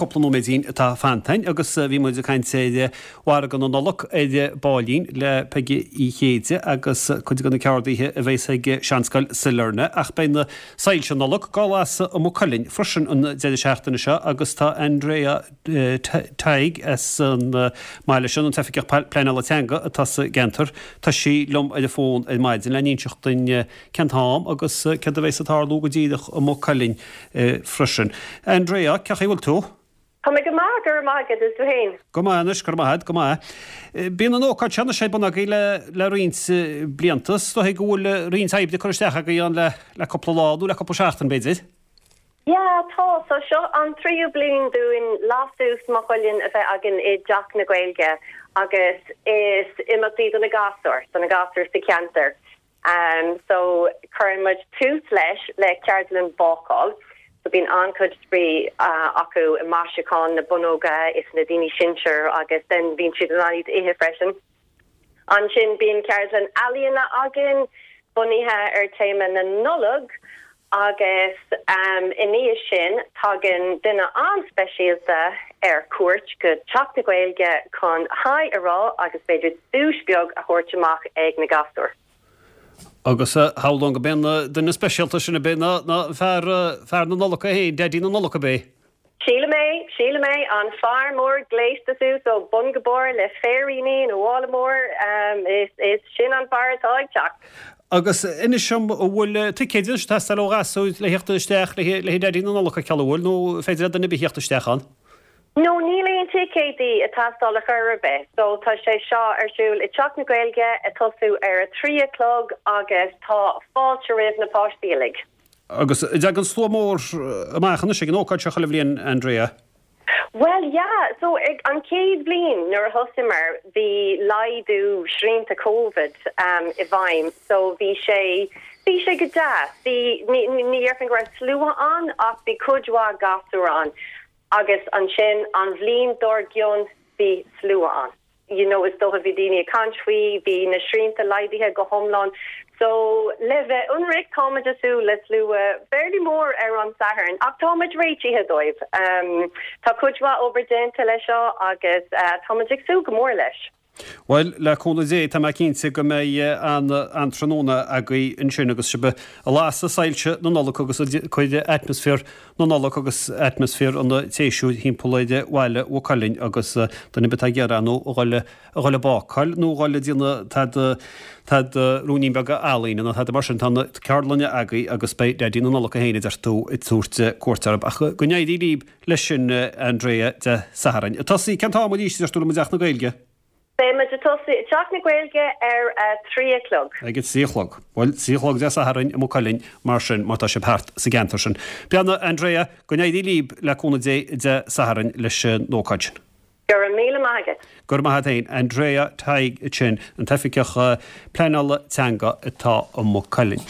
chúpla nóiméidín atá fanta againn agus bhí muid ag caint ar mhargadh na Nollag ar baillín le Peige Uí Chéide agus cuid de na ceardaithe a bheas ag Seanscoil Sailearna ach beidh na soilse Nollag dhá lasadh i Maigh Cuilinn freisin an deireadh seachtaine seo agus tá Andrea Tighe as an mbaile sin, an tOifigeach Pleanála Teanga atá sa gceantar, tá sí liom ar an bhfón ar maidin le n-inseacht duinn cén t-am agus céard a bheas ag tarlú go díreach i Maigh Cuilinn freisin. Andrea, cén chaoi a bhfuil tú? Tá mé go maith, go raibh maith agat, is tú féin? Go maith anois, go raibh maith agat, go maith. Bíonn an ócáid seo anois ar bun agaibh le le roinnt blianta. Is dóigh go bhfuil roinnt oibre curtha isteach agaibh ann le le cúpla lá nó le cúpla seachtain b'fhéidir? Yeah, tá. So seo an tríú bliain dúinn Lasadh Maigh Cuilinn a bheith againn i dTeach na Gaeilge agus is imeacht í do na gasúir, do na gasúir sa cheantar. So cuireann muid tús leis le ceardlann bácáil. So bíonn an-chuid spraoi acu i maisiúchán na bonnóga is na daoine sinsir agus then bíonn siad in ann iad a ithe freisin. Ansin bíonn ceardlann ealaíona againn bunaithe ar téama na Nollag agus i ndiaidh sin tagann duine an-speisialta ar cuairt go Teach na Gaeilge chun haigh a rá agus b'fhéidir duais beag a thabhairt amach ag na gasúir. Agus shamhlóinn go b'é an duine speisialta sin ab é ná fear fear na Nollag é féin, Daidí na Nollag ab é? Sílim é, sílim é, an fear mór gléasta suas ó bun go barr le féiríní ina mhála mór, is, is sin an fear atá ag teacht. Agus inis dom, an bhfuil ticéid anois ag teastáil ó ghasúir le theacht isteach le le Daidí na Nollag a fheiceáil, an bhfuil, nó féidir le duine ar bith theacht isteach ann? No, níl aon ticéidí ag teastáil ar chor ar bith. So tá sé seo ar siúl i dTeach na Gaeilge ag tosú ar a trí a chlog agus tá fáilte roimh na páistí uilig. Agus an dtagann slua mór amach anois ag an ócáid seo chuile bhliain, Andrea? Bhuel, yeah. So, ag an chéad bhliain nuair a thosaíomar, bhí laghdú srianta Covid i bhfeidhm, so bhí sé, bhí sé go deas. Bhí, ní, ní dhéarfainn go raibh slua ann ach bhí cuid mhaith gasúr ann. Agus ansin an bhliain dár gcionn bhí slua ann. you know is dócha bhí daoine ag caint faoi, bhí na srianta laghdaithe go hiomlán so le bheith ionraic táimid ag súil le slua fairly mór ar an Satharn ach táimid réitithe dóibh. Tá cuid mhaith obair déanta leis seo agus táimid ag súil go mór leis. Bhuel, le cúnamh Dé, tá mé cinnte go mbeidh an-tráthnóna agaibh ansin agus sibh ag lasadh soilse na Nollag agus ag cur atmaisféar na Nollag agus atmaisféar an tséasúir thimpeall ar bhaile Mhaigh Cuilinn agus duine ar bith atá ag iarraidh nó a dhul a dhul ag bácáil nó a dhul ag déanamh tada tada ruainnín beag ealaíne nó tada mar sin tá na ceardlanna agaibh agus beidh Daidí na Nollag é féin a deir tú ag tabhairt cuairt orthu. Ach go n-éirí libh leis sin Andrea Dé Sathairn. Ag tosaí cén t-am arís a deir tú liom i dTeach na Gaeilge? Beidh muid ag tosú i dTeach na Gaeilge ar a 3 a chlog. Ag a 3 a chlog. Bhuel, 3 a chlog Dé Sathairn i Maigh Cuilinn mar sin, má tá sibh thart sa gceantar sin. Beannacht Andrea, go n-éirí libh le cúnamh Dé Dé Sathairn leis an ócáid sin. Go raibh míle maith agat. Go raibh maith agat féin. Andrea Tighe ansin, an tOifigeach Pleanála Teanga atá i Maigh Cuilinn.